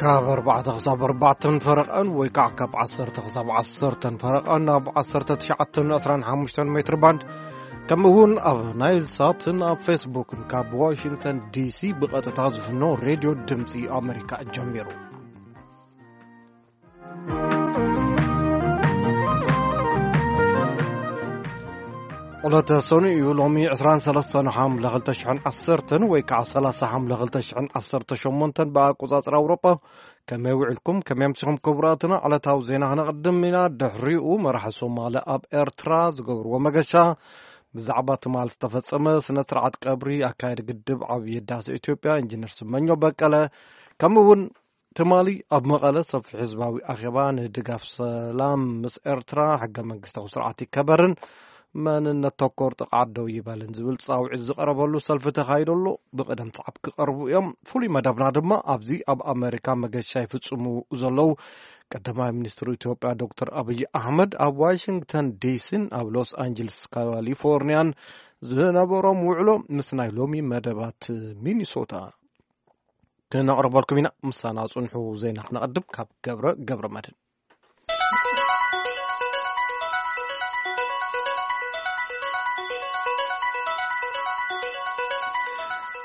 ካብ ኣርባዕተ ክሳብ ኣርባዕተን ፈረቐን ወይ ከዓ ካብ ዓሰርተ ክሳብ ዓሰርተን ፈረቐን ኣብ ዓሰርተ ትሽዓተን ዕስራን ሓሙሽተን ሜትር ባንድ፣ ከምኡ እውን ኣብ ናይል ሳትን ኣብ ፌስቡክን ካብ ዋሽንግተን ዲሲ ብቐጥታ ዝፍኖ ሬድዮ ድምፂ ኣሜሪካ ጀሚሩ። ዕለተ ሰኑይ እዩ። ሎሚ ዕስራን ሰለስተን ሓምለ ክልተ ሽሕን ዓሰርተን ወይ ከዓ ሰላሳ ሓምለ ክልተ ሽሕን ዓሰርተ ሸሞንተን ብኣቆጻጽራ ኣውሮጳ። ከመይ ውዕልኩም? ከመይ ኣምሲኹም ክቡራትና? ዕለታዊ ዜና ክነቕድም ኢና። ድሕሪኡ መራሒ ሶማሊ ኣብ ኤርትራ ዝገብርዎ መገሻ፣ ብዛዕባ ትማል ዝተፈጸመ ስነ ስርዓት ቀብሪ ኣካየዲ ግድብ ዓብዪ ህዳሴ ኢትዮጵያ ኢንጂነር ስመኘው በቀለ፣ ከምኡ እውን ትማሊ ኣብ መቐለ ሰፊሕ ህዝባዊ ኣኼባ ንድጋፍ ሰላም ምስ ኤርትራ፣ ሕገ መንግስታዊ ስርዓት ይከበርን መንነት ተኮር ጥቕዓት ደው ይበልን ዝብል ጻውዒት ዝቐረበሉ ሰልፊ ተኻይዱ ኣሎ። ብቕደም ሰዓብ ክቐርቡ እዮም። ፍሉይ መደብና ድማ ኣብዚ ኣብ ኣሜሪካ መገሻ ይፍጽሙ ዘለዉ ቀዳማይ ሚኒስትር ኢትዮጵያ ዶክተር ኣብይ ኣሕመድ ኣብ ዋሽንግተን ዲሲን ኣብ ሎስ ኣንጀልስ ካሊፎርኒያን ዝነበሮም ውዕሎ ምስ ናይ ሎሚ መደባት ሚኒሶታ ክነቕርበልኩም ኢና። ምሳና ጽንሑ። ዜና ክነቐድም ካብ ገብረ ገብረ መድህን።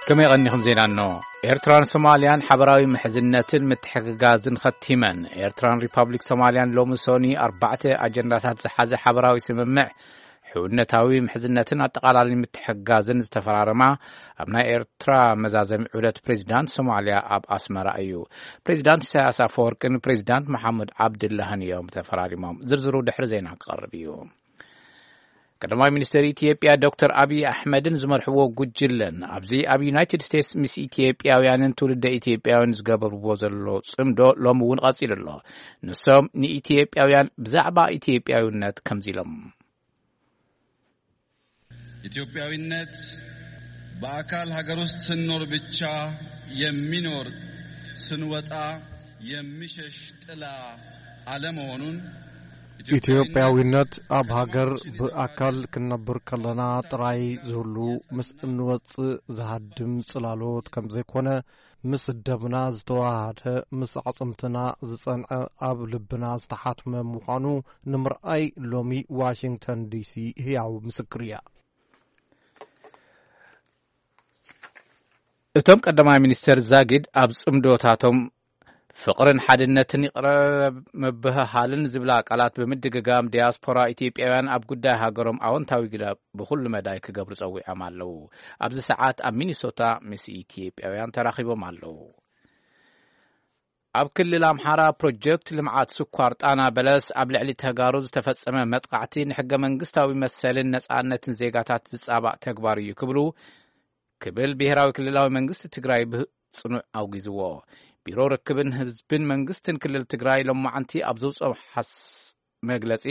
ከመይ ቀኒኹም? ዜና እኖ። ኤርትራን ሶማልያን ሓበራዊ ምሕዝነትን ምትሕግጋዝን ኸቲመን። ኤርትራን ሪፓብሊክ ሶማልያን ሎሚ ሶኒ ኣርባዕተ ኣጀንዳታት ዝሓዘ ሓበራዊ ስምምዕ ሕውነታዊ ምሕዝነትን ኣጠቓላሊ ምትሕግጋዝን ዝተፈራረማ ኣብ ናይ ኤርትራ መዛዘሚ ዑደት ፕሬዚዳንት ሶማልያ ኣብ ኣስመራ እዩ። ፕሬዚዳንት ኢሳያስ ኣፈወርቅን ፕሬዚዳንት መሓመድ ዓብድላህን እዮም ተፈራሪሞም። ዝርዝሩ ድሕሪ ዜና ክቐርብ እዩ። ቀዳማይ ሚኒስትር ኢትዮጵያ ዶክተር ኣብይ ኣሕመድን ዝመርሕዎ ጉጅለን ኣብዚ ኣብ ዩናይትድ ስቴትስ ምስ ኢትዮጵያውያንን ትውልደ ኢትዮጵያውያን ዝገበርዎ ዘሎ ጽምዶ ሎሚ እውን ቀጺሉ ኣሎ። ንሶም ንኢትዮጵያውያን ብዛዕባ ኢትዮጵያውነት ከምዚ ኢሎም። ኢትዮጵያዊነት በአካል ሀገር ውስጥ ስንኖር ብቻ የሚኖር፣ ስንወጣ የሚሸሽ ጥላ አለመሆኑን፣ ኢትዮጵያዊነት ኣብ ሃገር ብኣካል ክንነብር ከለና ጥራይ ዝህሉ፣ ምስ እንወጽእ ዝሃድም ጽላሎት ከም ዘይኮነ፣ ምስ ደምና ዝተዋሃደ፣ ምስ ኣዕጽምትና ዝጸንዐ፣ ኣብ ልብና ዝተሓትመ ምዃኑ ንምርኣይ ሎሚ ዋሽንግተን ዲሲ ህያው ምስክር እያ። እቶም ቀዳማይ ሚኒስተር ዛጊድ ኣብ ጽምዶታቶም ፍቕርን ሓድነትን ይቕረ ምብህሃልን ዝብላ ቃላት ብምድግጋም፣ ዲያስፖራ ኢትዮጵያውያን ኣብ ጉዳይ ሃገሮም ኣወንታዊ ግደ ብኹሉ መዳይ ክገብሩ ጸዊዖም ኣለዉ። ኣብዚ ሰዓት ኣብ ሚኒሶታ ምስ ኢትዮጵያውያን ተራኺቦም ኣለዉ። ኣብ ክልል ኣምሓራ ፕሮጀክት ልምዓት ስኳር ጣና በለስ ኣብ ልዕሊ ተጋሩ ዝተፈጸመ መጥቃዕቲ ንሕገ መንግስታዊ መሰልን ነጻነትን ዜጋታት ዝጻባእ ተግባር እዩ ክብሉ ክብል ብሄራዊ ክልላዊ መንግስቲ ትግራይ ብጽኑዕ ኣውጊዝዎ። ቢሮ ርክብን ህዝብን መንግስትን ክልል ትግራይ ሎማዓንቲ ኣብ ዘውፅኦ ሓስ-፣ መግለጺ፣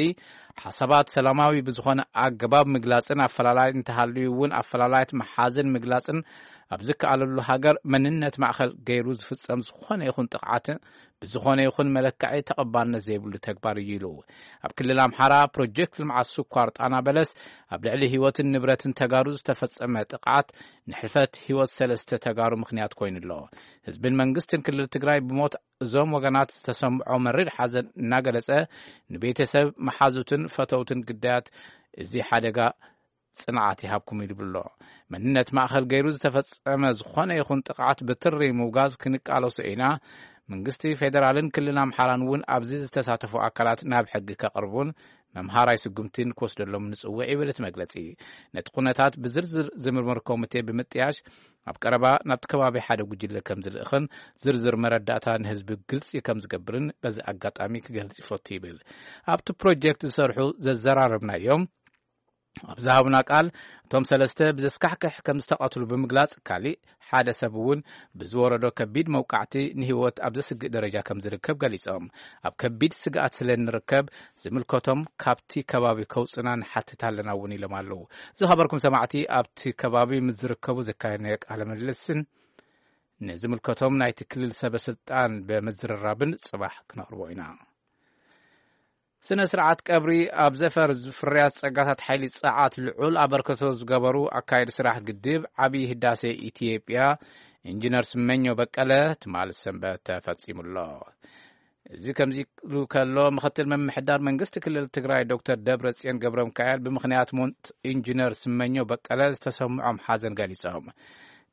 ሓሳባት ሰላማዊ ብዝኾነ ኣገባብ ምግላጽን ኣፈላላይ እንተሃልዩ እውን ኣፈላላያት ምሓዝን ምግላጽን ኣብ ዝከኣለሉ ሃገር መንነት ማእኸል ገይሩ ዝፍጸም ዝኾነ ይኹን ጥቕዓት ብዝኾነ ይኹን መለክዒ ተቐባልነት ዘይብሉ ተግባር እዩ ኢሉ። ኣብ ክልል ኣምሓራ ፕሮጀክት ልምዓት ስኳር ጣና በለስ ኣብ ልዕሊ ህይወትን ንብረትን ተጋሩ ዝተፈጸመ ጥቕዓት ንሕልፈት ህይወት ሰለስተ ተጋሩ ምኽንያት ኮይኑ ኣሎ። ህዝብን መንግስትን ክልል ትግራይ ብሞት እዞም ወገናት ዝተሰምዖ መሪር ሓዘን እናገለጸ፣ ንቤተሰብ መሓዙትን ፈተውትን ግዳያት እዚ ሓደጋ ጽንዓት ይሃብኩም ይብል ኣሎ። መንነት ማእኸል ገይሩ ዝተፈጸመ ዝኾነ ይኹን ጥቕዓት ብትሪ ምውጋዝ ክንቃለሶ ኢና። መንግስቲ ፌደራልን ክልል ኣምሓራን እውን ኣብዚ ዝተሳተፉ ኣካላት ናብ ሕጊ ከቕርቡን መምሃራይ ስጉምቲን ክወስደሎም ንጽውዕ ይብል እቲ መግለጺ። ነቲ ኩነታት ብዝርዝር ዝምርምር ኮሚቴ ብምጥያሽ ኣብ ቀረባ ናብቲ ከባቢ ሓደ ጉጅለ ከም ዝልእኽን ዝርዝር መረዳእታ ንህዝቢ ግልጺ ከም ዝገብርን በዚ ኣጋጣሚ ክገልጽ ይፈቱ ይብል። ኣብቲ ፕሮጀክት ዝሰርሑ ዘዘራረብናዮም ኣብ ዝሃቡና ቃል፣ እቶም ሰለስተ ብዘስካሕክሕ ከም ዝተቐትሉ ብምግላጽ፣ ካሊእ ሓደ ሰብ እውን ብዝወረዶ ከቢድ መውቃዕቲ ንህይወት ኣብ ዘስግእ ደረጃ ከም ዝርከብ ገሊጾም፣ ኣብ ከቢድ ስግኣት ስለ እንርከብ ዝምልከቶም ካብቲ ከባቢ ከውጽና ንሓትት ኣለና እውን ኢሎም ኣለዉ። ዝኸበርኩም ሰማዕቲ፣ ኣብቲ ከባቢ ምስ ዝርከቡ ዘካየድናዮ ቃለ ምልልስን ንዝምልከቶም ናይቲ ክልል ሰበ ስልጣን ብምዝርራብን ጽባሕ ክነቕርቦ ኢና። ስነ ስርዓት ቀብሪ ኣብ ዘፈር ፍርያት ጸጋታት ሓይሊ ጸዓት ልዑል ኣበርክቶ ዝገበሩ ኣካየዲ ስራሕ ግድብ ዓብዪ ህዳሴ ኢትዮጵያ ኢንጂነር ስመኘው በቀለ ትማሊ ሰንበት ተፈጺሙ ኣሎ። እዚ ከምዚ ኢሉ ከሎ፣ ምኽትል ምምሕዳር መንግስቲ ክልል ትግራይ ዶክተር ደብረጽዮን ገብረሚካኤል ብምኽንያት ሞት ኢንጂነር ስመኘው በቀለ ዝተሰምዖም ሓዘን ገሊጾም።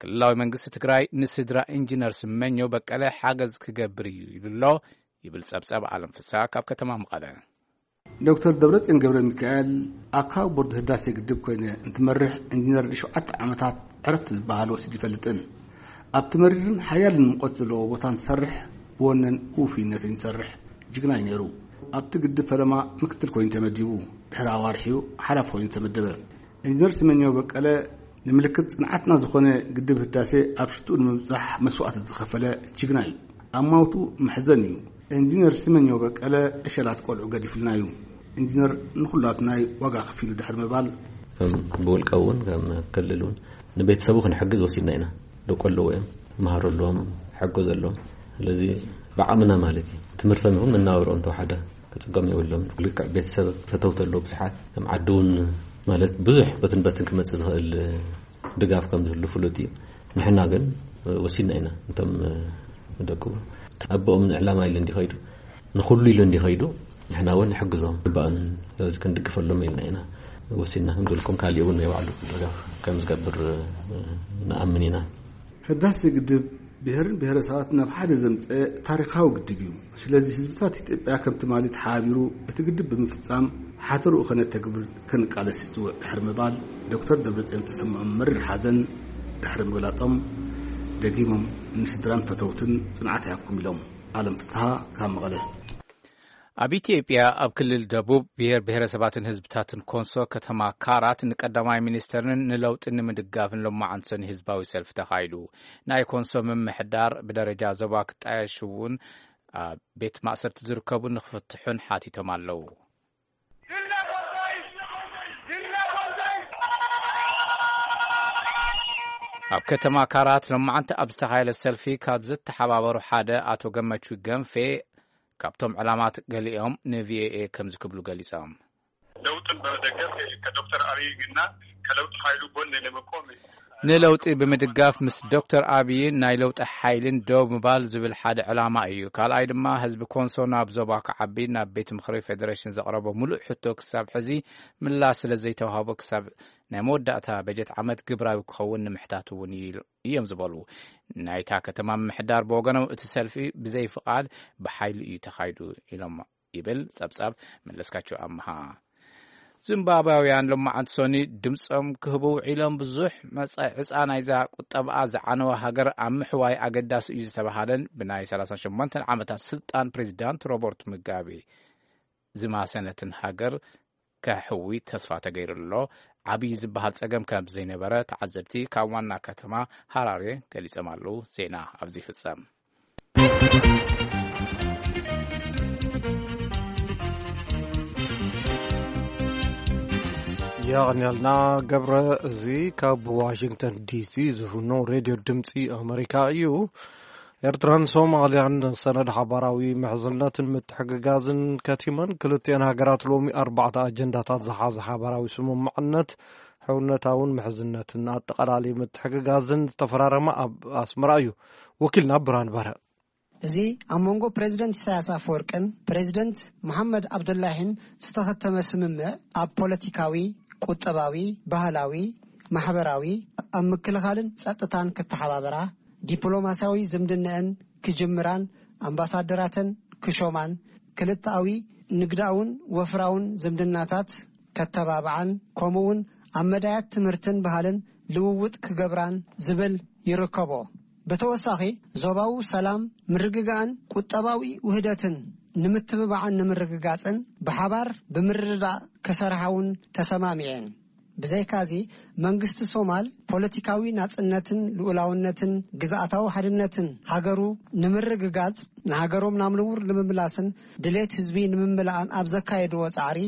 ክልላዊ መንግስቲ ትግራይ ንስድራ ኢንጂነር ስመኘው በቀለ ሓገዝ ክገብር እዩ ኢሉ ኣሎ ይብል ጸብጸብ ኣለም ፍስሓ ካብ ከተማ መቐለ። ዶክተር ደብረጽዮን ገብረ ሚካኤል ኣብ ካብ ቦርድ ህዳሴ ግድብ ኮይነ እንትመርሕ፣ ኢንጂነር ንሸውዓተ ዓመታት ዕረፍቲ ዝበሃል ወሲዱ ይፈልጥን። ኣብቲ መሪርን ሓያልን ሙቐት ዘለዎ ቦታ እንትሰርሕ፣ ብወነን ውፉይነትን ይሰርሕ ጅግና እዩ ነይሩ። ኣብቲ ግድብ ፈለማ ምክትል ኮይኑ ተመዲቡ፣ ድሕሪ ኣዋርሕ እዩ ሓላፊ ኮይኑ ተመደበ። ኢንጂነር ስመኘው በቀለ ንምልክት ጽንዓትና ዝኾነ ግድብ ህዳሴ ኣብ ሽትኡ ንምብጻሕ መስዋእቲ ዝኸፈለ ጅግና እዩ። ኣማውቱ መሕዘን እዩ። ኢንጂነር ስመኘው በቀለ ዕሸላት ቆልዑ ገዲፍልና እዩ። ኢንጂነር ንኹላትና ዋጋ ከፊሉ ድሕሪ ምባል፣ ከም ብውልቀ እውን ከም ክልል እውን ንቤተሰቡ ክንሕግዝ ወሲድና ኢና። ደቆ ኣለዎ እዮም፣ መሃሮ ኣለዎም፣ ሕጎ ዘለዎም። ስለዚ ብዓቕምና ማለት እዩ። ትምህርቶም ይኹን መናበርኦም ተወሓደ ክጽገሙ የብሎም። ልክዕ ቤተሰብ ፈተውቲ ኣለዎ ብዙሓት። ከም ዓዲ እውን ማለት ብዙሕ በትን በትን ክመጽእ ዝኽእል ድጋፍ ከም ዝህሉ ፍሉጥ እዩ። ንሕና ግን ወሲድና ኢና። እንቶም ደቁ ኣቦኦም ንዕላማ ኢሉ እንዲኸይዱ፣ ንኹሉ ኢሉ እንዲኸይዱ፣ ንሕና እውን ንሕግዞም ግባእን። ስለዚ ክንድግፈሎም ኢልና ኢና ወሲድና። ከም ዝበልኩም ካሊእ እውን ናይ ባዕሉ ድጋፍ ከም ዝገብር ንኣምን ኢና። ህዳሴ ግድብ ብሄርን ብሄረሰባትን ናብ ሓደ ዘምፀ ታሪኻዊ ግድብ እዩ። ስለዚ ህዝብታት ኢትዮጵያ ከም ትማሊ ተሓባቢሩ እቲ ግድብ ብምፍፃም ሓተርኡ ከነተግብር ከንቃለስ ይፅውዕ ድሕሪ ምባል፣ ዶክተር ደብረፅዮን ተሰምዖም መሪር ሓዘን ድሕሪ ምግላፆም፣ ደጊሞም ንስድራን ፈተውትን ፅንዓት ይሃብኩም ኢሎም። ኣለም ፍትሃ ካብ መቐለ። ኣብ ኢትዮጵያ ኣብ ክልል ደቡብ ብሔር ብሔረሰባትን ህዝብታትን ኮንሶ ከተማ ካራት ንቀዳማይ ሚኒስተርን ንለውጢ ንምድጋፍን ሎማዓንቲ ሰኒ ህዝባዊ ሰልፊ ተኻይዱ። ናይ ኮንሶ ምምሕዳር ብደረጃ ዞባ ክጣየሽ እውን ኣብ ቤት ማእሰርቲ ዝርከቡ ንክፍትሑን ሓቲቶም ኣለዉ። ኣብ ከተማ ካራት ሎማዓንቲ ኣብ ዝተኻየደ ሰልፊ ካብ ዝተሓባበሩ ሓደ ኣቶ ገመቹ ገንፌ ካብቶም ዕላማት ገሊኦም ንቪኦኤ ከምዚ ክብሉ ገሊጾም። ለውጥን በመደገፍ ከዶክተር አብይ ግና ከለውጥ ኃይሉ ጎን ለመቆም ንለውጢ ብምድጋፍ ምስ ዶክተር ኣብይን ናይ ለውጢ ሓይልን ደው ምባል ዝብል ሓደ ዕላማ እዩ። ካልኣይ ድማ ህዝቢ ኮንሶ ናብ ዞባ ክዓቢ ናብ ቤት ምኽሪ ፌዴሬሽን ዘቕረቦ ሙሉእ ሕቶ ክሳብ ሕዚ ምላሽ ስለ ዘይተዋህቦ ክሳብ ናይ መወዳእታ በጀት ዓመት ግብራዊ ክኸውን ንምሕታት እውን እዩ እዮም ዝበሉ። ናይታ ከተማ ምምሕዳር ብወገኖም እቲ ሰልፊ ብዘይ ፍቓድ ብሓይሊ እዩ ተኻይዱ ኢሎም ይብል ጸብጻብ መለስካቸው ኣምሃ። ዚምባብያውያን ሎማዓንቲ ሰኒ ድምጾም ክህቡ ውዒሎም ብዙሕ መጻኢ ዕጻ ናይዛ ቁጠባኣ ዝዓነወ ሃገር ኣብ ምሕዋይ ኣገዳሲ እዩ ዝተባሃለን ብናይ ሰላሳ ሸሞንተ ዓመታት ስልጣን ፕሬዚዳንት ሮበርት ሙጋቤ ዝማሰነትን ሃገር ከሕዊ ተስፋ ተገይሩ ኣሎ። ዓብዪ ዝበሃል ጸገም ከም ዘይነበረ ተዓዘብቲ ካብ ዋና ከተማ ሃራሬ ገሊጾም ኣለዉ። ዜና ኣብዚ ይፍጸም። የቐንያልና ገብረ። እዚ ካብ ዋሽንግተን ዲሲ ዝፍኖ ሬድዮ ድምፂ ኣመሪካ እዩ። ኤርትራን ሶማልያን ሰነድ ሓባራዊ ምሕዝነትን ምትሕግጋዝን ከቲመን፣ ክልቲአን ሃገራት ሎሚ ኣርባዕተ ኣጀንዳታት ዝሓዘ ሓባራዊ ስምምዕነት ሕውነታውን ምሕዝነትን ኣጠቓላሊ ምትሕግጋዝን ዝተፈራረማ ኣብ ኣስመራ እዩ። ወኪልና ብርሃን በርሀ። እዚ ኣብ መንጎ ፕሬዚደንት ኢሳያስ ኣፈወርቅን ፕሬዚደንት መሓመድ ኣብዱላሂን ዝተኸተመ ስምምዕ፣ ኣብ ፖለቲካዊ፣ ቁጠባዊ፣ ባህላዊ፣ ማሕበራዊ፣ ኣብ ምክልኻልን ጸጥታን ክተሓባበራ፣ ዲፕሎማስያዊ ዝምድነአን ክጅምራን ኣምባሳደራተን ክሾማን፣ ክልተኣዊ ንግዳውን ወፍራውን ዝምድናታት ከተባብዓን፣ ከምኡውን ኣብ መዳያት ትምህርትን ባህልን ልውውጥ ክገብራን ዝብል ይርከቦ። ብተወሳኺ፣ ዞባዊ ሰላም፣ ምርግጋእን ቁጠባዊ ውህደትን ንምትብባዕን ንምርግጋጽን ብሓባር ብምርድዳእ ክሰርሓ እውን ተሰማሚዐን። ብዘይካዚ፣ መንግስቲ ሶማል ፖለቲካዊ ናጽነትን ልኡላውነትን ግዝኣታዊ ሓድነትን ሃገሩ ንምርግጋጽ፣ ንሃገሮም ናብ ንቡር ንምምላስን ድሌት ህዝቢ ንምምላእን ኣብ ዘካየድዎ ጻዕሪ፣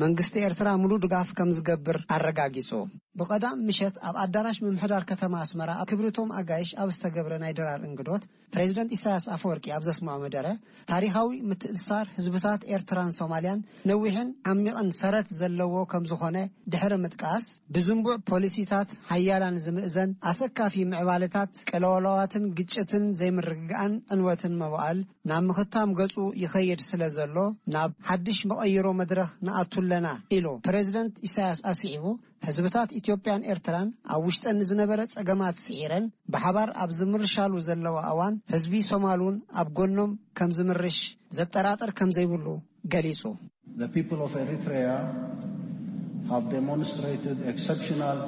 መንግስቲ ኤርትራ ምሉእ ድጋፍ ከም ዝገብር ኣረጋጊጹ። ብቐዳም ምሸት ኣብ ኣዳራሽ ምምሕዳር ከተማ ኣስመራ ኣብ ክብርቶም ኣጋይሽ ኣብ ዝተገብረ ናይ ድራር እንግዶት፣ ፕሬዚደንት ኢሳያስ ኣፈወርቂ ኣብ ዘስምዖ መደረ፣ ታሪኻዊ ምትእስሳር ህዝብታት ኤርትራን ሶማልያን ነዊሕን ዓሚቕን ሰረት ዘለዎ ከም ዝኾነ ድሕሪ ምጥቃስ፣ ብዝንቡዕ ፖሊሲታት ሓያል ኤርትራን ዝምእዘን ኣሰካፊ ምዕባለታት፣ ቅልውላዋትን ግጭትን ዘይምርግጋእን ዕንወትን መዋእል ናብ ምኽታም ገጹ ይኸይድ ስለ ዘሎ፣ ናብ ሓድሽ መቐይሮ መድረኽ ንኣቱ ኣለና ኢሉ። ፕሬዝደንት ኢሳያስ ኣስዒቡ፣ ህዝብታት ኢትዮጵያን ኤርትራን ኣብ ውሽጠን ንዝነበረ ጸገማት ስዒረን ብሓባር ኣብ ዝምርሻሉ ዘለዋ እዋን፣ ህዝቢ ሶማል እውን ኣብ ጎኖም ከም ዝምርሽ ዘጠራጥር ከም ዘይብሉ ገሊጹ። The people of Eritrea have demonstrated exceptional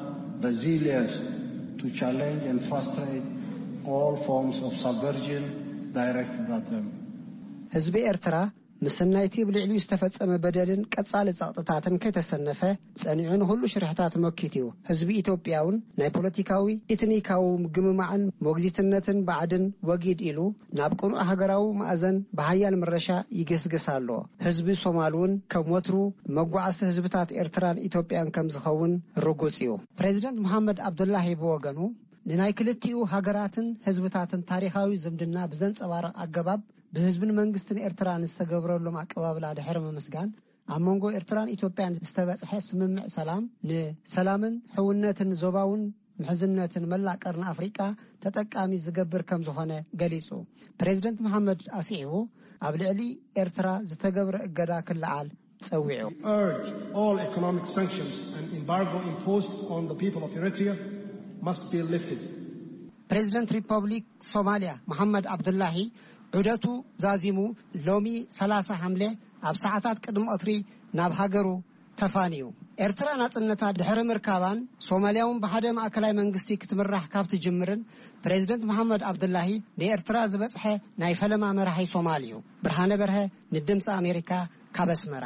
resilience to challenge and frustrate all forms of subversion directed at them. ህዝቢ ኤርትራ፣ ምስ ናይቲ ብልዕሊኡ ዝተፈጸመ በደልን ቀጻሊ ጸቕጥታትን ከይተሰነፈ፣ ጸኒዑ ንኹሉ ሽርሕታት መኪቱ እዩ። ህዝቢ ኢትዮጵያ እውን ናይ ፖለቲካዊ፣ ኢትኒካዊ ምግምማዕን ሞግዚትነትን ባዕድን ወጊድ ኢሉ፣ ናብ ቅኑዕ ሃገራዊ ማእዘን ብሓያል ምረሻ ይግስግስ ኣሎ። ህዝቢ ሶማል እውን ከም ወትሩ መጓዓዝቲ ህዝብታት ኤርትራን ኢትዮጵያን ከም ዝኸውን ርጉጽ እዩ። ፕሬዚደንት መሓመድ ኣብዱላሂ ብወገኑ፣ ንናይ ክልቲኡ ሃገራትን ህዝብታትን ታሪኻዊ ዝምድና ብዘንጸባርቕ ኣገባብ፣ ብህዝብን መንግስትን ኤርትራ ንዝተገብረሎም ኣቀባብላ ድሕሪ ምምስጋን፣ ኣብ መንጎ ኤርትራን ኢትዮጵያን ዝተበጽሐ ስምምዕ ሰላም፣ ንሰላምን ሕውነትን ዞባውን ምሕዝነትን መላእ ቀርኒ ኣፍሪቃ ተጠቃሚ ዝገብር ከም ዝኾነ ገሊጹ። ፕሬዚደንት መሓመድ ኣስዒቡ፣ ኣብ ልዕሊ ኤርትራ ዝተገብረ እገዳ ክለዓል ጸዊዑ። Urge all economic sanctions and embargo imposed on the people of Eritrea must be lifted. ፕሬዚደንት ሪፐብሊክ ሶማልያ መሓመድ ዓብዱላሂ ዑደቱ ዛዚሙ፣ ሎሚ ሰላሳ ሓምለ ኣብ ሰዓታት ቅድሚ ቀትሪ ናብ ሃገሩ ተፋንዩ። ኤርትራ ናጽነታ ድሕሪ ምርካባን ሶማልያ እውን ብሓደ ማእከላይ መንግስቲ ክትምራሕ ካብ ትጅምርን፣ ፕሬዚደንት መሓመድ ዓብዱላሂ ንኤርትራ ዝበጽሐ ናይ ፈለማ መራሒ ሶማል እዩ። ብርሃነ በርሀ ንድምፂ ኣሜሪካ ካብ ኣስመራ።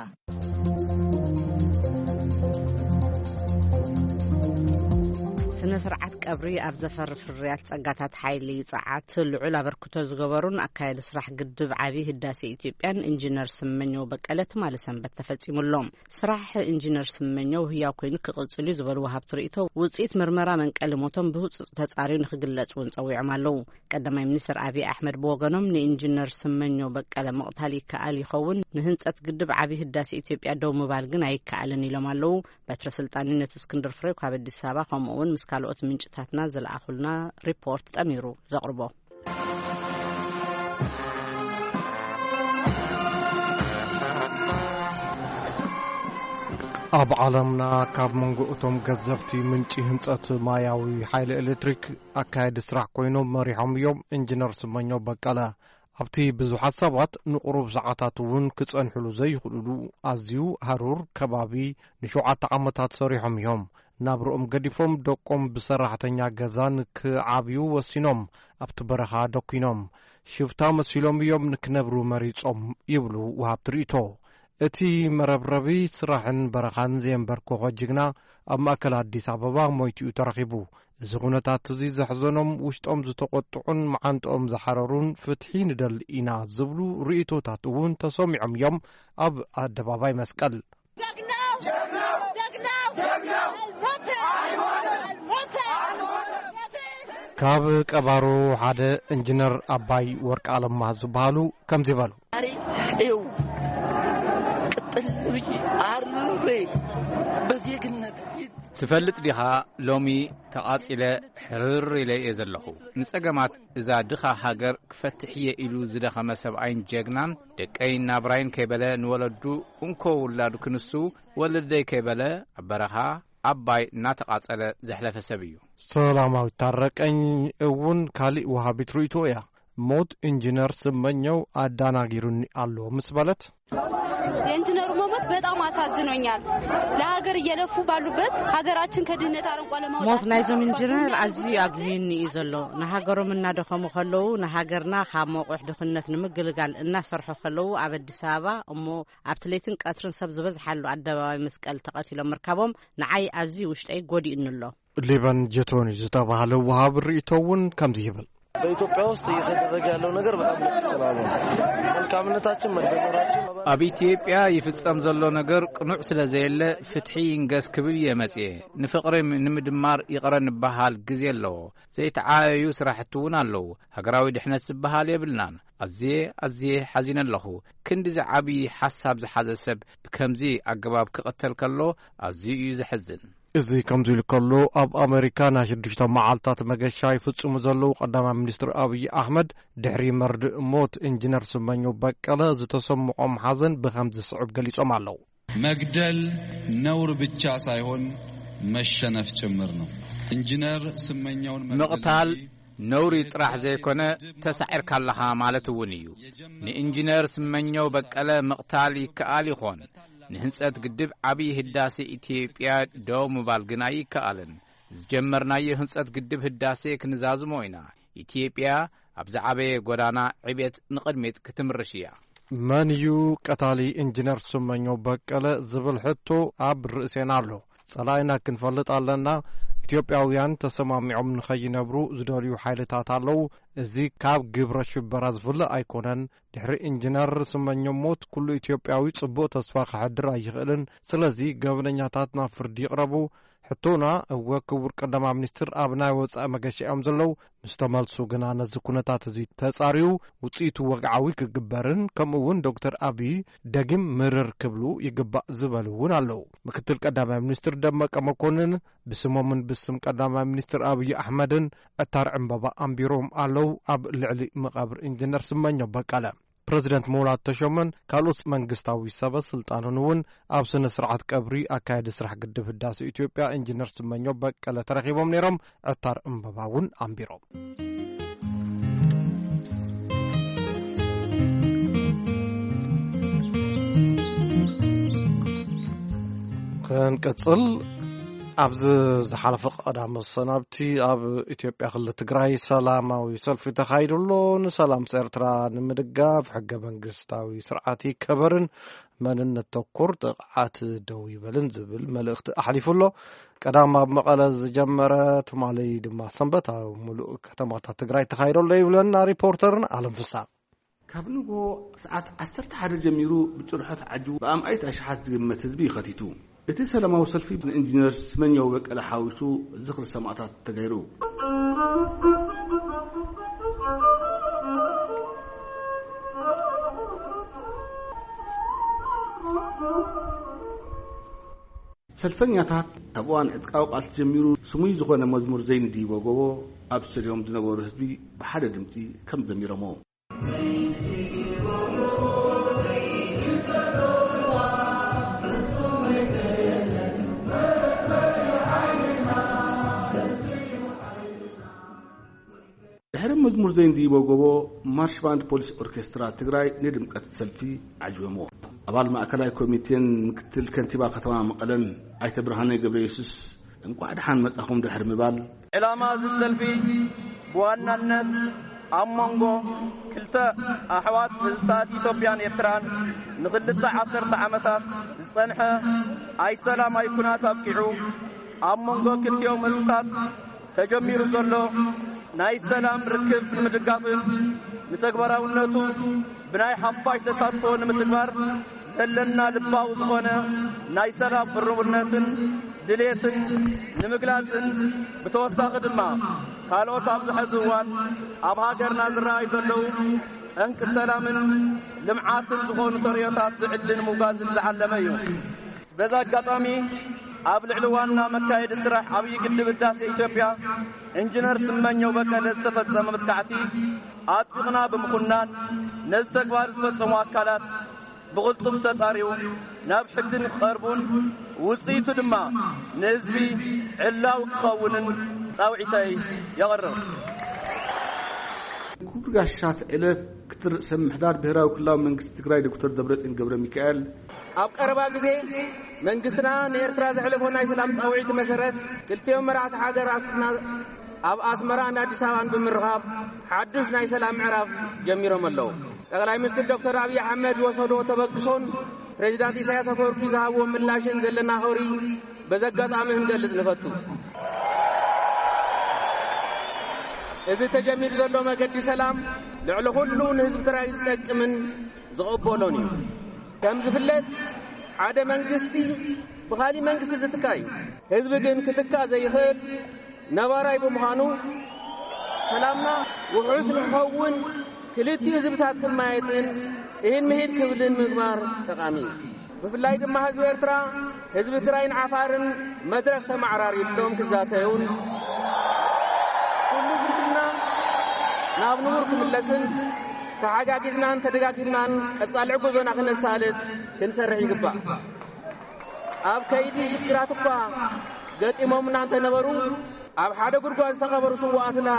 ስነ ስርዓት ቀብሪ ኣብ ዘፈሪ ፍርያት ጸጋታት ሓይሊ ጸዓት ልዑል ኣበርክቶ ዝገበሩን ኣካያዲ ስራሕ ግድብ ዓቢ ህዳሴ ኢትዮጵያን ኢንጂነር ስመኘው በቀለ ትማሊ ሰንበት ተፈጺሙሎም። ስራሕ ኢንጂነር ስመኘው ህያው ኮይኑ ክቕጽል እዩ ዝበሉ ወሃብቲ ርእይቶ፣ ውጽኢት ምርመራ መንቀሊ ሞቶም ብህጹጽ ተጻርዩ ንክግለጽ እውን ጸዊዖም ኣለዉ። ቀዳማይ ሚኒስትር ኣብይ ኣሕመድ ብወገኖም፣ ንኢንጂነር ስመኘው በቀለ ምቕታል ይከኣል ይኸውን፣ ንህንጸት ግድብ ዓቢ ህዳሴ ኢትዮጵያ ደው ምባል ግን ኣይከኣልን ኢሎም ኣለዉ። በትረ ስልጣን ነቲ እስክንድር ፍሬው ካብ ኣዲስ ኣበባ፣ ከምኡ እውን ምስ ካልኦት ምንጭታትና ዝለኣኹልና ሪፖርት ጠሚሩ ዘቕርቦ። ኣብ ዓለምና ካብ መንጎ እቶም ገዘፍቲ ምንጪ ህንጸት ማያዊ ሓይሊ ኤሌክትሪክ ኣካየዲ ስራሕ ኮይኖም መሪሖም እዮም ኢንጂነር ስመኘው በቀለ። ኣብቲ ብዙሓት ሰባት ንቁሩብ ሰዓታት እውን ክጸንሕሉ ዘይኽእሉሉ ኣዝዩ ሃሩር ከባቢ ንሸውዓተ ዓመታት ሰሪሖም እዮም። ናብርኦም ገዲፎም፣ ደቆም ብሰራሕተኛ ገዛን ክዓብዩ ወሲኖም ኣብቲ በረኻ ደኲኖም። ሽፍታ መሲሎም እዮም ንክነብሩ መሪጾም ይብሉ ወሃብቲ ርእይቶ። እቲ መረብረቢ ስራሕን በረኻን ዘየንበርኮኸ ጅግና ኣብ ማእከል ኣዲስ ኣበባ ሞይቱ እዩ ተረኺቡ። እዚ ኩነታት እዚ ዘሕዘኖም፣ ውሽጦም ዝተቖጥዑን መዓንጥኦም ዝሓረሩን ፍትሒ ንደሊ ኢና ዝብሉ ርእይቶታት እውን ተሰሚዖም እዮም ኣብ ኣደባባይ መስቀል። ጀግናው! ጀግናው! ጀግናው! አልሞተ! አልሞተ! አልሞተ! ካብ ቀባሩ ሓደ ኢንጂነር ኣባይ ወርቂ ኣለማ ዝበሃሉ ከምዚ በሉ። ዛሬ ይኸው ቅጥል ብዬ አርሬ በዜግነት ትፈልጥ ዲኻ? ሎሚ ተቓጺለ ሕርር ኢለ እየ ዘለኹ። ንጸገማት እዛ ድኻ ሃገር ክፈትሕ እየ ኢሉ ዝደኸመ ሰብኣይን ጀግናን፣ ደቀይን ናብራይን ከይበለ ንወለዱ እንኮ ውላዱ ክንሱ፣ ወለደይ ከይበለ ኣብ በረኻ ኣባይ እናተቓጸለ ዘሕለፈ ሰብ እዩ። ሰላማዊት ታረቀኝ እውን ካሊእ ወሃቢት ርእይቶ እያ። ሞት ኢንጂነር ስመኘው ኣዳናጊሩኒ ኣሎ ምስ በለት፣ የኢንጂነሩ መሞት በጣም አሳዝኖኛል። ለሀገር እየለፉ ባሉበት ሀገራችን ከድህነት አረንቋ ለማውጣት ሞት ናይዞም ኢንጂነር ኣዝዩ ኣጉህዩኒ እዩ ዘሎ። ንሃገሮም እናደኸሙ ከለዉ፣ ንሃገርና ካብ መቑሕ ድኽነት ንምግልጋል እናሰርሑ ከለዉ፣ ኣብ ኣዲስ ኣበባ እሞ ኣብቲ ለይትን ቀትርን ሰብ ዝበዝሓሉ ኣደባባይ መስቀል ተቐቲሎም ምርካቦም ንዓይ ኣዝዩ ውሽጠይ ጎዲኡኒ ኣሎ። ሊበን ጀቶኒ ዝተባህለ ወሃቢ ርእይቶ እውን ከምዚ ይብል። በኢትዮጵያ ውስጥ እየተደረገ ያለው ነገር በጣም ልክ ስላልሆነ መልካምነታችን መደመራችን ኣብ ኢትዮጵያ ይፍጸም ዘሎ ነገር ቅኑዕ ስለ ዘየለ፣ ፍትሒ ይንገስ ክብል እየ መጽኤ። ንፍቕሪ ንምድማር ይቕረ ንበሃል ግዜ ኣለዎ። ዘይተዓያዩ ስራሕቲ እውን ኣለዉ። ሃገራዊ ድሕነት ዝበሃል የብልናን። ኣዝየ፣ ኣዝየ ሓዚነ ኣለኹ። ክንዲ ዝዓቢ ሓሳብ ዝሓዘ ሰብ ብከምዚ ኣገባብ ክቕተል ከሎ ኣዝዩ እዩ ዘሕዝን። እዚ ከምዚ ኢሉ ከሎ፣ ኣብ ኣመሪካ ናይ ሽዱሽተ መዓልታት መገሻ ይፍጽሙ ዘለዉ ቀዳማይ ሚኒስትር ኣብይ ኣሕመድ፣ ድሕሪ መርድእ ሞት ኢንጂነር ስመኘው በቀለ ዝተሰምዖም ሓዘን ብኸምዚ ዝስዕብ ገሊጾም ኣለዉ። መግደል ነውር ብቻ ሳይሆን መሸነፍ ጭምር ነው። ኢንጂነር ስመኘውን መግደል ምቕታል እንጂ ነውሪ ጥራሕ ዘይኮነ፣ ተሳዒርካ ኣለኻ ማለት እውን እዩ። ንኢንጂነር ስመኘው በቀለ ምቕታል ይከኣል ይኾን፣ ንህንጸት ግድብ ዓብዪ ህዳሴ ኢትዮጵያ ደው ምባል ግን ኣይከኣልን። ዝጀመርናዮ ህንጸት ግድብ ህዳሴ ክንዛዝሞ ኢና። ኢትዮጵያ ኣብ ዝዓበየ ጎዳና ዕቤት ንቕድሚት ክትምርሽ እያ። መን እዩ ቀታሊ ኢንጂነር ስመኘው በቀለ ዝብል ሕቶ ኣብ ርእሴና ኣሎ። ጸላኢና ክንፈልጥ ኣለና። ኢትዮጵያውያን ተሰማሚዖም ንኸይነብሩ ዝደልዩ ሓይልታት ኣለዉ። እዚ ካብ ግብረ ሽበራ ዝፍለ ኣይኮነን። ድሕሪ ኢንጂነር ስመኘው ሞት ኩሉ ኢትዮጵያዊ ጽቡቕ ተስፋ ከሕድር ኣይኽእልን። ስለዚ ገበነኛታት ናብ ፍርዲ ይቕረቡ። ሕቶና፣ እወ፣ ክቡር ቀዳማይ ሚኒስትር ኣብ ናይ ወጻኢ መገሻ እዮም ዘለዉ። ምስ ተመልሱ ግና ነዚ ኩነታት እዚ ተጻርዩ ውጽኢቱ ወግዓዊ ክግበርን፣ ከምኡ እውን ዶክተር ኣብይ ደጊም ምርር ክብሉ ይግባእ ዝበሉ እውን ኣለዉ። ምክትል ቀዳማይ ሚኒስትር ደመቀ መኮንን ብስሞምን ብስም ቀዳማይ ሚኒስትር ኣብይ ኣሕመድን ዕታር ዕምበባ ኣንቢሮም ኣለዉ። ኣብ ልዕሊ መቓብር ኢንጂነር ስመኘው በቀለ ፕረዚደንት ሙላቱ ተሾመን ካልኦት መንግስታዊ ሰበ ስልጣንን እውን ኣብ ስነ ስርዓት ቀብሪ ኣካያዲ ስራሕ ግድብ ህዳሴ ኢትዮጵያ ኢንጂነር ስመኘው በቀለ ተረኺቦም ነይሮም። ዕታር እምበባ እውን ኣንቢሮም። ክንቅጽል፣ ኣብዚ ዝሓለፈ ቀዳም መሰናብቲ ኣብ ኢትዮጵያ ክልል ትግራይ ሰላማዊ ሰልፊ ተኻይዱ ኣሎ። ንሰላም ኤርትራ ንምድጋፍ ሕገ መንግስታዊ ስርዓት ይከበርን መንነት ተኮር ጥቕዓት ደው ይበልን ዝብል መልእኽቲ ኣሕሊፉ ኣሎ። ቀዳም ኣብ መቐለ ዝጀመረ፣ ትማሊ ድማ ሰንበት ኣብ ሙሉእ ከተማታት ትግራይ ተኻይዱ ኣሎ ይብለና ሪፖርተርና ኣለም ፍሳ። ካብ ንግሆ ሰዓት ዓሰርተ ሓደ ጀሚሩ ብጭርሖ ተዓጂቡ ብኣማኢት ኣሽሓት ዝግመት ህዝቢ እዩ ኸቲቱ። እቲ ሰላማዊ ሰልፊ ንኢንጂነር ስመኛው በቀለ ሓዊሱ ዝኽሪ ሰማእታት ተገይሩ። ሰልፈኛታት ካብ እዋን ዕጥቃዊ ቃልሲ ጀሚሩ ስሙይ ዝኾነ መዝሙር ዘይንድይቦ ጎቦ ኣብ ስቴድዮም ዝነበሩ ህዝቢ ብሓደ ድምፂ ከም ዘሚሮሞ። ድሕሪ መዝሙር ዘይንድይቦ ጎቦ፣ ማርሽ ባንድ ፖሊስ ኦርኬስትራ ትግራይ ንድምቀት ሰልፊ ዓጅበሞ። ኣባል ማእከላይ ኮሚቴን ምክትል ከንቲባ ከተማ መቐለን ኣይተ ብርሃነ ገብረየሱስ፣ እንቋዕ ደሓን መጻኹም ድሕሪ ምባል፣ ዕላማ እዚ ሰልፊ ብዋናነት ኣብ መንጎ ክልተ ኣሕዋት ህዝብታት ኢትዮጵያን ኤርትራን ንኽልተ ዓሰርተ ዓመታት ዝጸንሐ ኣይሰላም ኣይኩናት ኣብቂዑ፣ ኣብ መንጎ ክልቲኦም ህዝብታት ተጀሚሩ ዘሎ ናይ ሰላም ርክብ ንምድጋፍን ንተግባራውነቱ ብናይ ሓፋሽ ተሳትፎ ንምትግባር ዘለና ልባዊ ዝኾነ ናይ ሰላም ቅርቡነትን ድሌትን ንምግላጽን፣ ብተወሳኺ ድማ ካልኦት ኣብዚ ሕዚ እዋን ኣብ ሃገርና ዝረኣዩ ዘለዉ ጠንቂ ሰላምን ልምዓትን ዝኾኑ ተርእዮታት ብዕሊ ንምውጋዝን ዝዓለመ እዩ። በዚ ኣጋጣሚ ኣብ ልዕሊ ዋና መካየዲ ስራሕ ዓብዪ ግድብ ህዳሴ ኢትዮጵያ ኢንጂነር ስመኘው በቀለ ዝተፈጸመ መጥቃዕቲ ኣጥቢቕና ብምኹናን፣ ነዚ ተግባር ዝፈጸሙ ኣካላት ብቕልጡፍ ተጻርዩ ናብ ሕጊ ንክቐርቡን ውጽኢቱ ድማ ንህዝቢ ዕላዊ ክኸውንን ጻውዒተይ የቕርብ። ክቡር ጋሻ ተዕለ ክትር ርእሰ ምሕዳር ብሔራዊ ክልላዊ መንግስቲ ትግራይ ዶክተር ደብረጽዮን ገብረ ሚካኤል፣ ኣብ ቀረባ ግዜ መንግስትና ንኤርትራ ዘሕለፎ ናይ ሰላም ጻውዒት መሰረት፣ ክልቲኦም መራሕቲ ሃገራትና ኣብ ኣስመራን ኣዲስ ኣበባን ብምርኻብ ሓድሽ ናይ ሰላም ምዕራፍ ጀሚሮም ኣለዉ። ጠቕላይ ሚኒስትር ዶክተር ኣብይ ኣሕመድ ዝወሰዶ ተበግሶን ፕሬዚዳንት ኢሳያስ ኣፈወርቂ ዝሃብዎ ምላሽን ዘለና ኸብሪ በዚ ኣጋጣሚ ክንገልጽ ንፈቱ። እዚ ተጀሚሩ ዘሎ መገዲ ሰላም ልዕሊ ኩሉ ንህዝቢ ትግራይ ዝጠቅምን ዝቕበሎን እዩ። ከም ዝፍለጥ፣ ሓደ መንግስቲ ብኻሊእ መንግስቲ ዝትካ እዩ። ህዝቢ ግን ክትካ ዘይኽእል ነባራይ ብምዃኑ፣ ሰላምና ውሑስ ንክኸውን ክልቲኡ ህዝብታት ክማየጥን ኢድ ምሂድ ክብልን ምግባር ጠቓሚ እዩ። ብፍላይ ድማ ህዝቢ ኤርትራ፣ ህዝቢ ትግራይን ዓፋርን መድረኽ ተመዓራሪሎም ክዛተዩን፣ ኩሉ ዝምድና ናብ ንቡር ክምለስን፣ ተሓጋጊዝናን ተደጋጊፍናን ቀጻሊ ጉዞና ክነሳልጥ ክንሰርሕ ይግባእ። ኣብ ከይዲ ሽግራት እኳ ገጢሞምና እንተነበሩ፣ ኣብ ሓደ ጉድጓድ ዝተቐበሩ ስውኣትና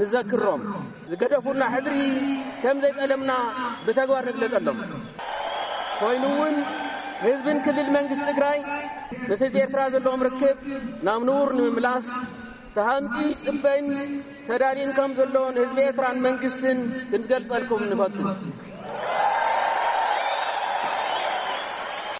ንዘክሮም፣ ዝገደፉልና ሕድሪ ከም ዘይጠለምና ብተግባር ንግለጸሎም። ኮይኑ እውን ህዝብን ክልል መንግስቲ ትግራይ ምስ ህዝቢ ኤርትራ ዘለዎም ርክብ ናብ ንቡር ንምምላስ ተሃንጥዩ ይጽበይን ተዳልዩን ከም ዘሎ ንህዝቢ ኤርትራን መንግስትን ክንገልጸልኩም ንፈቱ።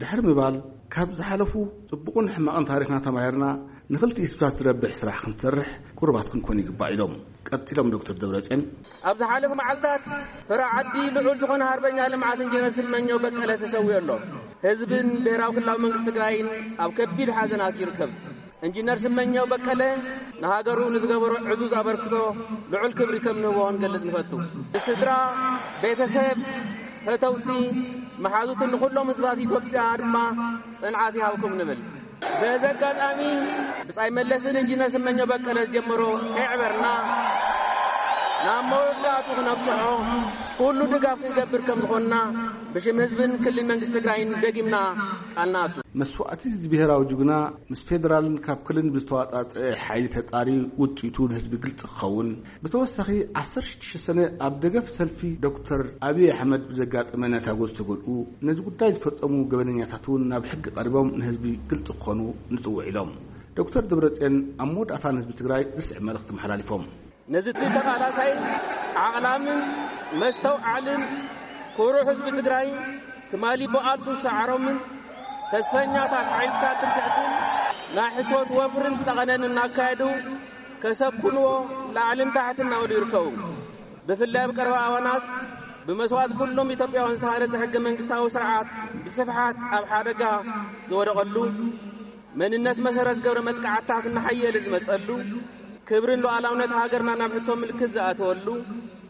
ድሕሪ ምባል፣ ካብ ዝሓለፉ ጽቡቕን ሕማቕን ታሪኽና ተማሂርና፣ ንኽልቲኡ ህዝብታት ዝረብሕ ስራሕ ክንሰርሕ ቁሩባት ክንኮን ይግባእ ኢሎም። ቀጺሎም ዶክተር ደብረጽዮን፣ ኣብ ዝሓለፉ መዓልታት ፍረ ዓዲ ልዑል ዝኾነ ሃርበኛ ልምዓት ኢንጂነር ስመኘው በቀለ ተሰዊኡ ኣሎ። ህዝብን ብሄራዊ ክልላዊ መንግስቲ ትግራይን ኣብ ከቢድ ሓዘናት ይርከብ። ኢንጂነር ስመኘው በቀለ ንሃገሩ ንዝገበሮ ዕዙዝ ኣበርክቶ ልዑል ክብሪ ከም ንህቦ ክንገልጽ ንፈቱ። ንስድራ፣ ቤተሰብ፣ ፈተውቲ፣ መሓዙትን ንኹሎም ህዝባት ኢትዮጵያ ድማ ጽንዓት ይሃብኩም ንብል። በዚ ኣጋጣሚ ብጻይ መለስን ኢንጂነር ስመኘው በቀለ ዝጀመሮ ከየዕበርና ናብ መወዳእቱ ክነብጽሖ ኩሉ ድጋፍ ክንገብር ከም ዝኾንና ብሽም ህዝብን ክልል መንግስቲ ትግራይን ደጊምና ቃል ንኣቱ። መስዋእቲ እዚ ብሄራዊ ጅግና ምስ ፌደራልን ካብ ክልልን ብዝተዋጣጠ ሓይሊ ተጣሪ ውፅኢቱ ንህዝቢ ግልፂ ክኸውን፣ ብተወሳኺ ዓሰርተ ሽዱሽተ ሰነ ኣብ ደገፍ ሰልፊ ዶክተር ኣብይ ኣሕመድ ብዘጋጠመ ነታጎ ዝተጎድኡ ነዚ ጉዳይ ዝፈፀሙ ገበነኛታት እውን ናብ ሕጊ ቀሪቦም ንህዝቢ ግልፂ ክኾኑ ንፅውዕ ኢሎም። ዶክተር ደብረፅዮን ኣብ መወዳእታ ንህዝቢ ትግራይ ዝስዕብ መልእኽቲ መሓላሊፎም። ነዚ እቲ ተቓላሳይ ዓቕላምን መስተውዓልን ኩሩዕ ህዝቢ ትግራይ፣ ትማሊ ብቓልሱ ዝሰዓሮምን ተስፈኛታት ሓይልታት ትምክሕትን ናይ ሕሶት ወፍርን ጠቐነን እናካየዱ ከሰኩንዎ ላዕልን ታሕትን እናበሉ ይርከቡ። ብፍላይ ኣብ ቀረባ እዋናት ብመስዋእቲ ኩሎም ኢትዮጵያውያን ዝተሃነፀ ሕገ መንግስታዊ ስርዓት ብስፍሓት ኣብ ሓደጋ ዝወደቐሉ፣ መንነት መሰረት ዝገብረ መጥቃዕትታት እናሓየለ ዝመፀሉ፣ ክብርን ሉዓላውነት ሃገርና ናብ ሕቶ ምልክት ዝኣተወሉ፣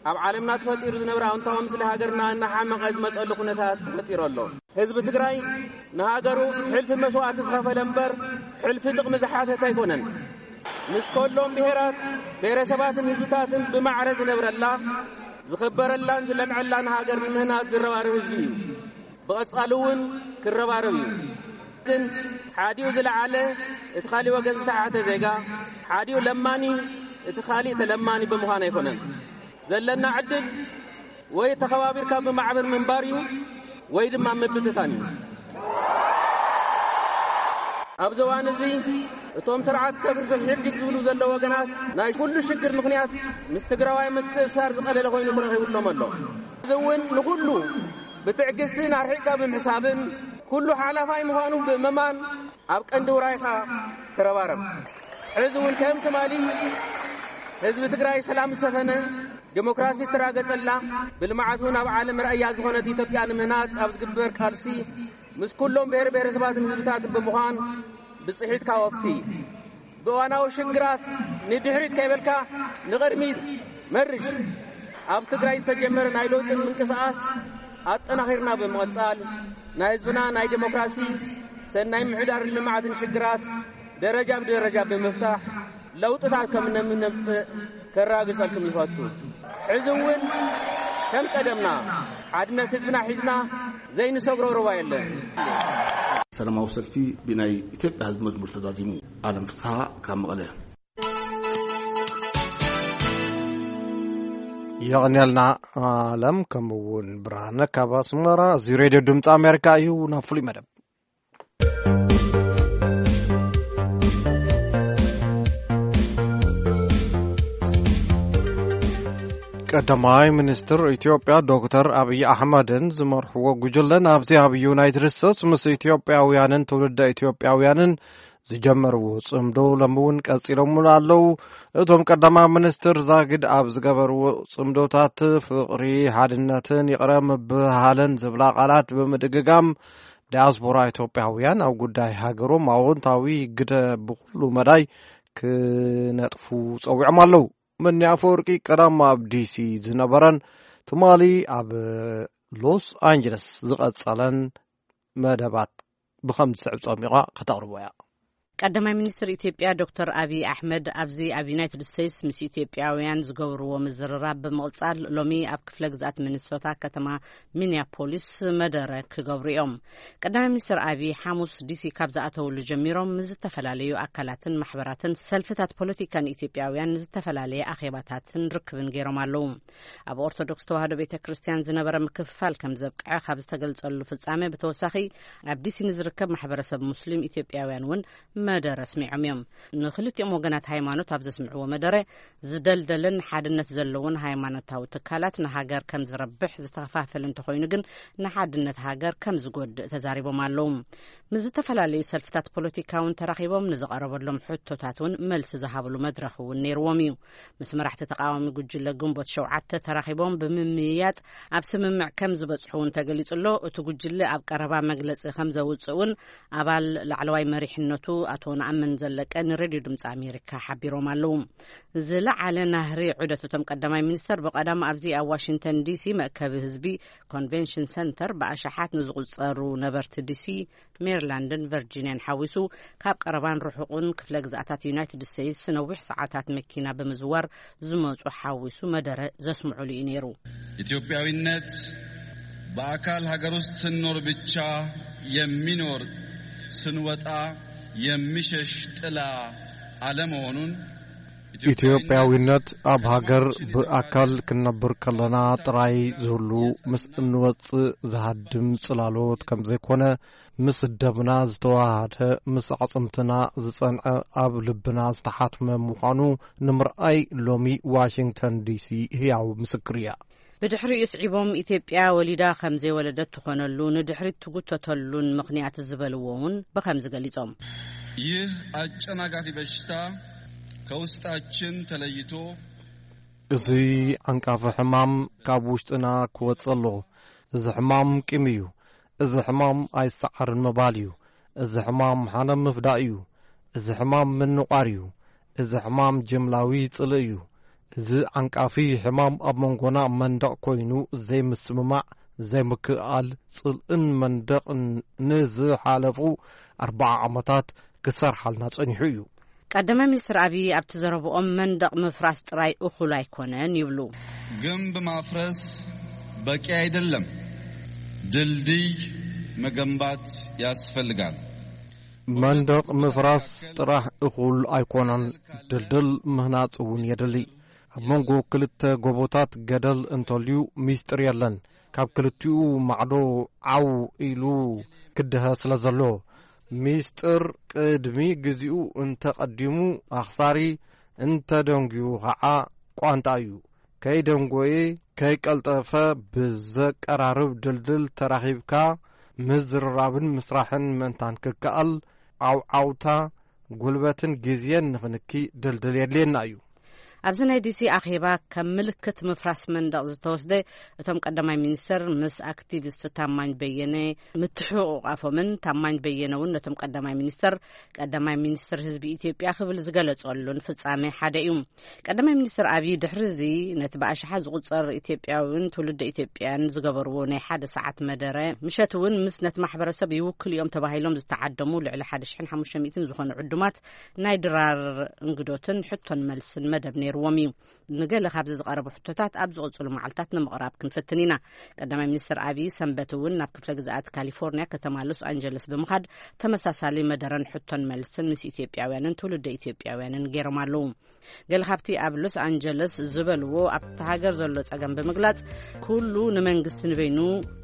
ኣብ ዓለምና ተፈጢሩ ዝነበረ ኣውንታዊ ምስሊ ሃገርና እናሓመቐ ዝመፀሉ ኩነታት ተፈጢሩ ኣሎ። ህዝቢ ትግራይ ንሃገሩ ሕልፊ መስዋእቲ ዝኸፈለ እምበር ሕልፊ ጥቕሚ ዝሓተተ ኣይኮነን። ምስ ከሎም ብሄራት፣ ብሄረሰባትን ህዝብታትን ብማዕረ ዝነብረላ፣ ዝኽበረላን ዝለምዐላን ሃገር ንምህናፅ ዝረባረብ ህዝቢ እዩ። ብቐጻሊ እውን ክረባረብ እዩ። ግን ሓዲኡ ዝለዓለ እቲ ካሊእ ወገን ዝተሓተ ዜጋ፣ ሓዲኡ ለማኒ እቲ ካሊእ ተለማኒ ብምዃን ኣይኮነን። ዘለና ዕድል ወይ ተኸባቢርካ ብማዕበር ምንባር እዩ ወይ ድማ ምብትታን እዩ። ኣብዚ እዋን እዚ እቶም ስርዓት ከፍርሱ ሕድግ ዝብሉ ዘለዉ ወገናት ናይ ኩሉ ሽግር ምኽንያት ምስ ትግራዋይ ምትእስሳር ዝቐለለ ኮይኑ ተረኺቡሎም ኣሎ። እዚ እውን ንኹሉ ብትዕግስትን ኣርሒቕካ ብምሕሳብን ኩሉ ሓላፋይ ምዃኑ ብምእማን ኣብ ቀንዲ ውራይካ ተረባረብ። ሕዚ እውን ከም ትማሊ ህዝቢ ትግራይ ሰላም ዝሰፈነ፣ ዲሞክራሲ ዝተራገጸላ፣ ብልምዓት እውን ኣብ ዓለም ራእያ ዝኾነት ኢትዮጵያ ንምህናጽ ኣብ ዝግበር ቃልሲ ምስ ኩሎም ብሔር ብሔረሰባትን ህዝብታትን ብምዃን ብጽሒትካ ወፊ። ብእዋናዊ ሽግራት ንድሕሪት ከይበልካ ንቕድሚት መርሽ። ኣብ ትግራይ ዝተጀመረ ናይ ለውጢ ምንቅስቓስ ኣጠናኺርና ብምቕጻል ናይ ህዝብና ናይ ዲሞክራሲ፣ ሰናይ ምሕዳርን ልምዓትን ሽግራት ደረጃ ብደረጃ ብምፍታሕ ለውጥታት ከም ነምነምጽእ ከረጋግጸልኩም ይፈቱ። ሕዚ እውን ከም ቀደምና ሓድነት ህዝብና ሒዝና ዘይንሰግሮ ሩባ የለን። ሰላማዊ ሰልፊ ብናይ ኢትዮጵያ ህዝቢ መዝሙር ተዛዚሙ። ኣለም ፍስሓ ካብ መቐለ። የቐንየልና ኣለም፣ ከምኡ እውን ብርሃነ ካብ ኣስመራ። እዚ ሬድዮ ድምፂ ኣሜሪካ እዩ። ናብ ፍሉይ መደብ ቀዳማይ ሚኒስትር ኢትዮጵያ ዶክተር ኣብይ ኣሕመድን ዝመርሕዎ ጉጅለ ናብዚ ኣብ ዩናይትድ ስቴትስ ምስ ኢትዮጵያውያንን ትውልደ ኢትዮጵያውያንን ዝጀመርዎ ጽምዶ ሎሚ እውን ቀጺሎምሉ ኣለዉ። እቶም ቀዳማይ ሚኒስትር ዛጊድ ኣብ ዝገበርዎ ጽምዶታት ፍቕሪ፣ ሓድነትን ይቕረ ምብህሃልን ዝብላ ቃላት ብምድግጋም ዲያስፖራ ኢትዮጵያውያን ኣብ ጉዳይ ሃገሮም ኣወንታዊ ግደ ብኹሉ መዳይ ክነጥፉ ጸዊዖም ኣለዉ። መኒ ኣፈወርቂ ቀዳም ኣብ ዲሲ ዝነበረን ትማሊ ኣብ ሎስ ኣንጀለስ ዝቐጸለን መደባት ብኸም ዝስዕብ ጸሚቋ ከተቕርቦ እያ። ቀዳማይ ሚኒስትር ኢትዮጵያ ዶክተር ኣብይ ኣሕመድ ኣብዚ ኣብ ዩናይትድ ስቴትስ ምስ ኢትዮጵያውያን ዝገብርዎ ምዝርራብ ብምቕጻል፣ ሎሚ ኣብ ክፍለ ግዝኣት ሚኒሶታ ከተማ ሚኒያፖሊስ መደረ ክገብሩ እዮም። ቀዳማይ ሚኒስትር ኣብይ ሓሙስ ዲሲ ካብ ዝኣተውሉ ጀሚሮም ምስ ዝተፈላለዩ ኣካላትን ማሕበራትን ሰልፍታት ፖለቲካን ኢትዮጵያውያን ዝተፈላለየ ኣኼባታትን ርክብን ገይሮም ኣለዉ። ኣብ ኦርቶዶክስ ተዋህዶ ቤተ ክርስቲያን ዝነበረ ምክፍፋል ከም ዘብቅዐ ካብ ዝተገልጸሉ ፍጻሜ ብተወሳኺ፣ ኣብ ዲሲ ንዝርከብ ማሕበረሰብ ሙስሊም ኢትዮጵያውያን እውን መደረ ኣስሚዖም እዮም። ንክልቲኦም ወገናት ሃይማኖት ኣብ ዘስምዕዎ መደረ፣ ዝደልደለን ሓድነት ዘለዎን ሃይማኖታዊ ትካላት ንሃገር ከም ዝረብሕ፣ ዝተኸፋፈለ እንተኾይኑ ግን ንሓድነት ሃገር ከም ዝጎድእ ተዛሪቦም ኣለዉ። ምስ ዝተፈላለዩ ሰልፍታት ፖለቲካ እውን ተራኺቦም ንዝቐረበሎም ሕቶታት እውን መልሲ ዝሃብሉ መድረኽ እውን ነይርዎም እዩ። ምስ መራሕቲ ተቃዋሚ ጉጅለ ግንቦት ሸውዓተ ተራኺቦም ብምምይያጥ ኣብ ስምምዕ ከም ዝበጽሑ እውን ተገሊጹ ኣሎ። እቲ ጉጅለ ኣብ ቀረባ መግለጺ ከም ዘውጽእ እውን ኣባል ላዕለዋይ መሪሕነቱ ኣቶ ነኣምን ዘለቀ ንሬድዮ ድምፂ ኣሜሪካ ሓቢሮም ኣለዉ። ዝለዓለ ናህሪ ዑደት እቶም ቀዳማይ ሚኒስተር ብቐዳም ኣብዚ ኣብ ዋሽንግተን ዲሲ መእከቢ ህዝቢ ኮንቬንሽን ሰንተር ብኣሽሓት ንዝቑጸሩ ነበርቲ ዲሲ፣ ሜሪላንድን ቨርጂንያን ሓዊሱ ካብ ቀረባን ርሑቕን ክፍለ ግዝኣታት ዩናይትድ ስቴትስ ነዊሕ ሰዓታት መኪና ብምዝዋር ዝመጹ ሓዊሱ መደረ ዘስምዑሉ እዩ ነይሩ። ኢትዮጵያዊነት በአካል ሀገር ውስጥ ስንኖር ብቻ የሚኖር፣ ስንወጣ የሚሸሽ ጥላ አለመሆኑን፣ ኢትዮጵያዊነት ኣብ ሃገር ብኣካል ክንነብር ከለና ጥራይ ዝህሉ፣ ምስ እንወጽእ ዝሃድም ጽላሎት ከም ዘይኮነ፣ ምስ ደምና ዝተዋሃደ፣ ምስ ኣዕጽምትና ዝጸንዐ፣ ኣብ ልብና ዝተሓትመ ምዃኑ ንምርኣይ ሎሚ ዋሽንግተን ዲሲ ህያው ምስክር እያ። ብድሕሪኡ ስዒቦም ኢትዮጵያ ወሊዳ ከም ዘይወለደት ትኾነሉ፣ ንድሕሪት ትጉተተሉን ምኽንያት ዝበልዎ እውን ብኸምዚ ገሊጾም። ይህ አጨናጋፊ በሽታ ከውስጣችን ተለይቶ እዚ ዓንቃፊ ሕማም ካብ ውሽጥና ክወጽእ ኣለዎ። እዚ ሕማም ቂም እዩ። እዚ ሕማም ኣይሰዓርን ምባል እዩ። እዚ ሕማም ሓነ ምፍዳእ እዩ። እዚ ሕማም ምንቋር እዩ። እዚ ሕማም ጅምላዊ ጽልኢ እዩ። እዚ ዓንቃፊ ሕማም ኣብ መንጎና መንደቕ ኮይኑ ዘይምስምማዕ፣ ዘይምክእኣል፣ ጽልእን መንደቕን ንዝሓለፉ ኣርብዓ ዓመታት ክሰርሓልና ጸኒሑ እዩ። ቀዳማይ ሚኒስትር ኣብይ ኣብቲ ዘረብኦም መንደቕ ምፍራስ ጥራይ እኹል ኣይኮነን ይብሉ። ግንብ ማፍረስ በቂ አይደለም፣ ድልድይ መገንባት ያስፈልጋል። መንደቕ ምፍራስ ጥራሕ እኹል ኣይኮነን፣ ድልድል ምህናጽ እውን የድሊ። ኣብ መንጎ ክልተ ጎቦታት ገደል እንተልዩ ሚስጥር የለን። ካብ ክልቲኡ ማዕዶ ዓው ኢሉ ክድሀ ስለ ዘሎ፣ ሚስጥር ቅድሚ ግዜኡ እንተቐዲሙ ኣኽሳሪ፣ እንተደንጉዩ ኸዓ ቋንጣ እዩ። ከይደንጎየ፣ ከይቀልጠፈ ብዘቀራርብ ድልድል ተራኺብካ ምዝርራብን ምስራሕን ምእንታን ክከኣል፣ ዓውዓውታ፣ ጉልበትን ግዜን ንኽንኪ ድልድል የድልየና እዩ። ኣብዚ ናይ ዲሲ ኣኼባ ከም ምልክት ምፍራስ መንደቕ ዝተወስደ፣ እቶም ቀዳማይ ሚኒስተር ምስ ኣክቲቪስት ታማኝ በየነ ምትሕቑቓፎምን ታማኝ በየነ እውን ነቶም ቀዳማይ ሚኒስተር፣ ቀዳማይ ሚኒስትር ህዝቢ ኢትዮጵያ ክብል ዝገለጸሉን ፍጻሜ ሓደ እዩ። ቀዳማይ ሚኒስትር ኣብይ ድሕሪ እዚ ነቲ ብኣሽሓት ዝቑጸር ኢትዮጵያውን ትውልደ ኢትዮጵያን ዝገበርዎ ናይ ሓደ ሰዓት መደረ፣ ምሸት እውን ምስ ነቲ ማሕበረሰብ ይውክሉ እዮም ተባሂሎም ዝተዓደሙ ልዕሊ ሓደ ሽሕን ሓሙሽተ ሚእትን ዝኾኑ ዕዱማት ናይ ድራር እንግዶትን ሕቶን መልስን መደብ ነይርዎም እዩ። ንገለ ካብዚ ዝቐረቡ ሕቶታት ኣብ ዝቕጽሉ መዓልታት ንምቕራብ ክንፍትን ኢና። ቀዳማይ ሚኒስትር ኣብይ ሰንበት እውን ናብ ክፍለ ግዝኣት ካሊፎርኒያ ከተማ ሎስ ኣንጀለስ ብምኻድ ተመሳሳሊ መደረን ሕቶን መልስን ምስ ኢትዮጵያውያንን ትውልደ ኢትዮጵያውያንን ገይሮም ኣለዉ። ገለ ካብቲ ኣብ ሎስ ኣንጀለስ ዝበልዎ፣ ኣብቲ ሃገር ዘሎ ጸገም ብምግላጽ፣ ኩሉ ንመንግስቲ ንበይኑ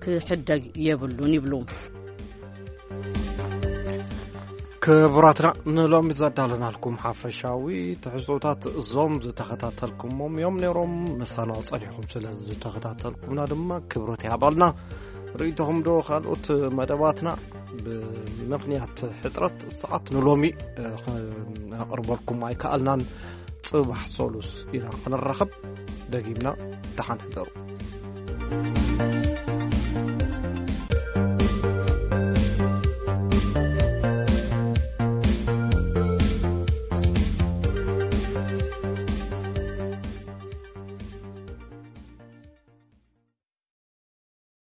ክሕደግ የብሉን ይብሉ። ክቡራትና፣ ንሎሚ ዘዳለናልኩም ሓፈሻዊ ትሕዝቶታት እዞም ዝተኸታተልኩሞም እዮም ነይሮም። ምሳና ጸኒሕኩም ስለ ዝተኸታተልኩምና ድማ ክብረት ይሃበልና። ርእይቶኹም ዶ ካልኦት መደባትና ብምኽንያት ሕጽረት ሰዓት ንሎሚ፣ እ፣ ኸ-፣ ነቕርበልኩም ኣይከኣልናን። ጽባሕ ሰሉስ ኢና ክንራኸብ። ደጊምና ደሓን ሕደሩ።